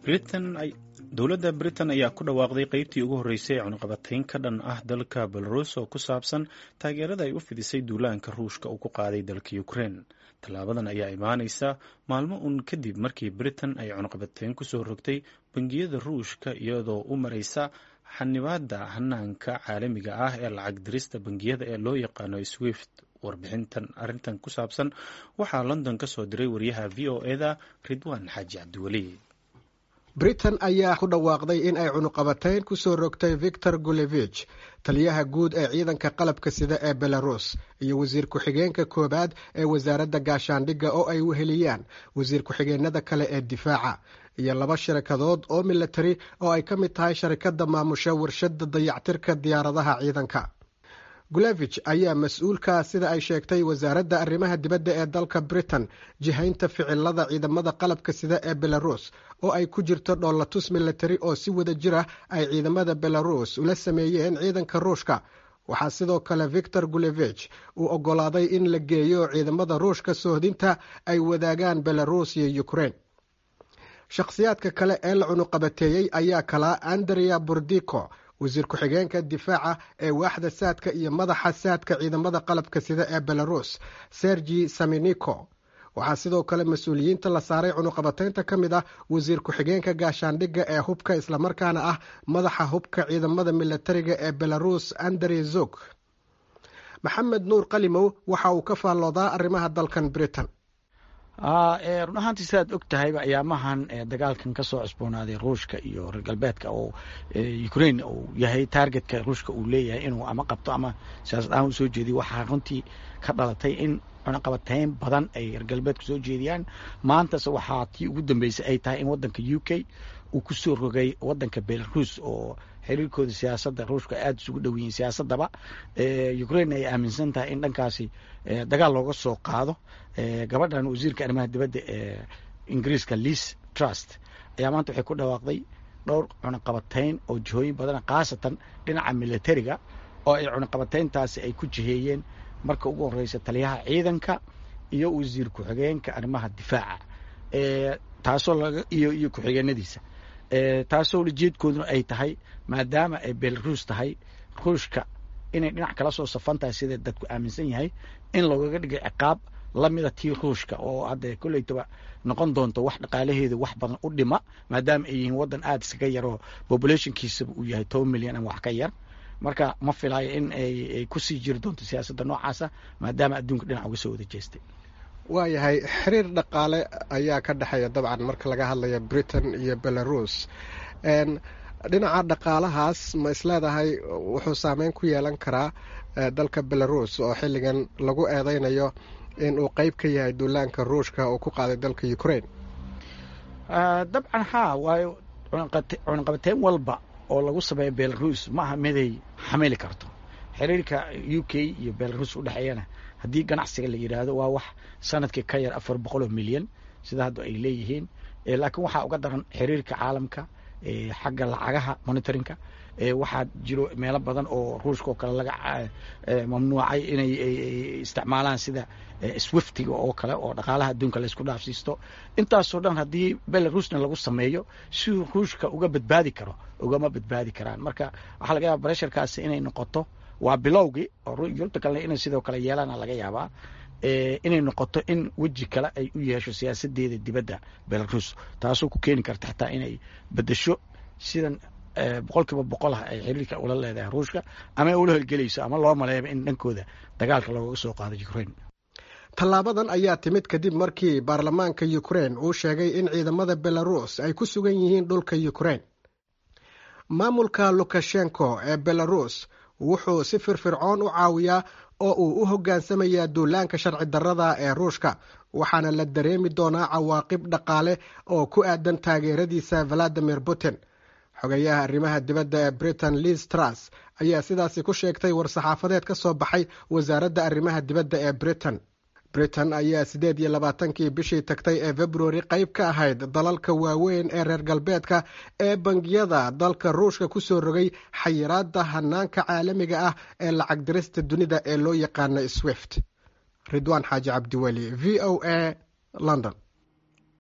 Dowladda Britain ayaa ku dhawaaqday qeybtii ugu horreysay ee cunaqabatayn ka dhan ah dalka Belarus oo ku saabsan taageerada ay u fidisay duulaanka Ruushka uu ku qaaday dalka Ukraine. Tallaabadan ayaa imaaneysa maalmo uun kadib markii Britain ay cunaqabatayn kusoo rogtay bangiyada Ruushka, iyadoo u mareysa xanibaadda hanaanka caalamiga ah ee lacag dirista bangiyada ee loo yaqaano SWIFT. Warbixintan arrintan ku saabsan waxaa London ka soo diray wariyaha VOA-da, Ridwaan Xaaji Cabdiweli. Britain ayaa ku dhawaaqday in ay cunuqabatayn kusoo rogtay Victor Gulevich, taliyaha guud ee ciidanka qalabka sida ee Belarus, iyo wasiir ku-xigeenka koowaad ee wasaaradda gaashaandhigga oo ay weheliyaan wasiir ku-xigeenada kale ee difaaca, iyo laba sharikadood oo milatari oo ay ka mid tahay sharikadda maamusha warshadda dayactirka diyaaradaha ciidanka. Gulevich ayaa mas-uulka, sida ay sheegtay wasaaradda arrimaha dibadda ee dalka Britain, jihaynta ficilada ciidamada qalabka sida ee Belarus, oo ay ku jirto dhoolatus milatari oo si wada jir ah ay ciidamada Belarus ula sameeyeen ciidanka Ruushka. Waxaa sidoo kale Victor Gulevich uu oggolaaday in la geeyo ciidamada Ruushka soohdinta ay wadaagaan Belarus iyo Ukraine. Shakhsiyaadka kale ee la cunuqabateeyey ayaa kalaa Andrea Bordiko, wasiir ku-xigeenka difaaca ee waaxda saadka, iyo madaxa saadka ciidamada qalabka sida ee Belarus, Sergi Saminiko. Waxaa sidoo kale mas-uuliyiinta la saaray cunuqabataynta ka mid ah wasiir ku-xigeenka gaashaandhigga ee hubka, islamarkaana ah madaxa hubka ciidamada milatariga ee Belarus, Andre Zog. Maxamed Nuur Qalimow waxa uu ka faalloodaa arrimaha dalkan Britain. Run ahaantii, sidaad og tahayba, ayaamahan dagaalkan ka soo cusboonaaday Ruushka iyo reer galbeedka oo Ukraine uu yahay targetka Ruushka uu leeyahay inuu ama qabto ama siyaasad ahaan usoo jeediyo, waxaa runtii ka dhalatay in cunaqabatayn badan ay reer galbeedku soo jeediyaan. Maantase waxaa tii ugu dambeysay ay tahay in waddanka UK uu kusoo rogay waddanka Belarus, oo xiriirkooda siyaasadda Ruushka aada isugu dhow yihiin, siyaasadaba Ukraine ay aaminsan tahay in dhankaasi dagaal looga soo qaado. Gabadhan wasiirka arrimaha dibadda ee Ingiriiska, Liz Truss, ayaa maanta waxay ku dhawaaqday dhowr cunaqabatayn oo jihooyin badana, khaasatan dhinaca militariga, oo ay cunaqabatayntaasi ay ku jiheeyeen marka ugu horeysa taliyaha ciidanka iyo wasiir ku-xigeenka arrimaha difaaca, taasoo laga iyo ku-xigeenadiisa, taasoo ujeedkooduna ay tahay, maadaama ay Belarus tahay Ruushka inay dhinac kala soo safan tahay sida dadku aaminsan yahay, in loogaga dhigay ciqaab lamida tii Ruushka, oo hadda kolleytaba noqon doonto wax dhaqaalaheeda wax badan u dhima, maadaama ay yihiin waddan aada iskaga yaroo populationkiisaba uu yahay 10 milyan ama wax ka yar. Marka ma filayo in ay kusii jiri doonto siyaasadda noocaasa, maadaama adduunka dhinac uga soo wada jeestay. Waayahay, xiriir dhaqaale ayaa ka dhexeeya dabcan marka laga hadlayo Britain iyo Belarus. Dhinaca dhaqaalahaas, ma isleedahay wuxuu saameyn ku yeelan karaa dalka Belarus oo xilligan lagu eedeynayo in uu qeyb ka yahay duulaanka Ruushka oo ku qaaday dalka Ukraine? Dabcan haa, waayo cunaqabateyn walba oo lagu sameeyo Belarus ma aha miday xamili karto. Xiriirka UK iyo Belarus udhexeeyana, haddii ganacsiga la yidhaahdo, waa wax sanadkii ka yar 400 milyan, sida hadda ay leeyihiin. Laakiin waxaa uga daran xiriirka caalamka xagga lacagaha, monitoringka. Waxaa jiro meelo badan oo Ruushka oo kale laga mamnuucay inay isticmaalaan, sida SWIFTiga oo kale oo dhaqaalaha adduunka laysku dhaafsiisto. Intaasoo dhan haddii Belarusna lagu sameeyo, siduu Ruushka uga badbaadi karo ugama badbaadi karaan. Marka waxaa laga yaaba pressurekaasi inay noqoto, waa bilowgii, oo Yurubta kalena inay sidoo kale yeelaana laga yaabaa, inay noqoto in weji kale ay u yeesho siyaasadeeda dibadda Belarus, taasoo ku keeni karta xataa inay bedesho sidan 100% ah ay xiriirka ula leedahay Ruushka ama ay ula holgelayso ama loo maleeyaba in dhankooda dagaalka loogaga soo qaado Ukraine. Tallaabadan ayaa timid kadib markii baarlamaanka Ukraine uu sheegay in ciidamada Belarus ay ku sugan yihiin dhulka Ukraine. Maamulka Lukashenko ee Belarus wuxuu si firfircoon u caawiyaa oo uu u hoggaansamayaa duulaanka sharci darrada ee Ruushka, waxaana la dareemi doonaa cawaaqib dhaqaale oo ku aadan taageeradiisa Valadimir Putin, xogayaha arrimaha dibadda ee Britain, Liz Truss, ayaa sidaasi ku sheegtay war-saxaafadeed ka soo baxay wasaaradda arrimaha dibadda ee Britain. Britain ayaa 28-kii bishii tagtay ee February qayb ka ahayd dalalka waaweyn ee reer galbeedka ee bangiyada dalka Ruushka kusoo rogay xayiraadda hanaanka caalamiga ah ee lacag dirista dunida ee loo yaqaano SWIFT. Ridwaan Xaaji Cabdiweli, VOA, London.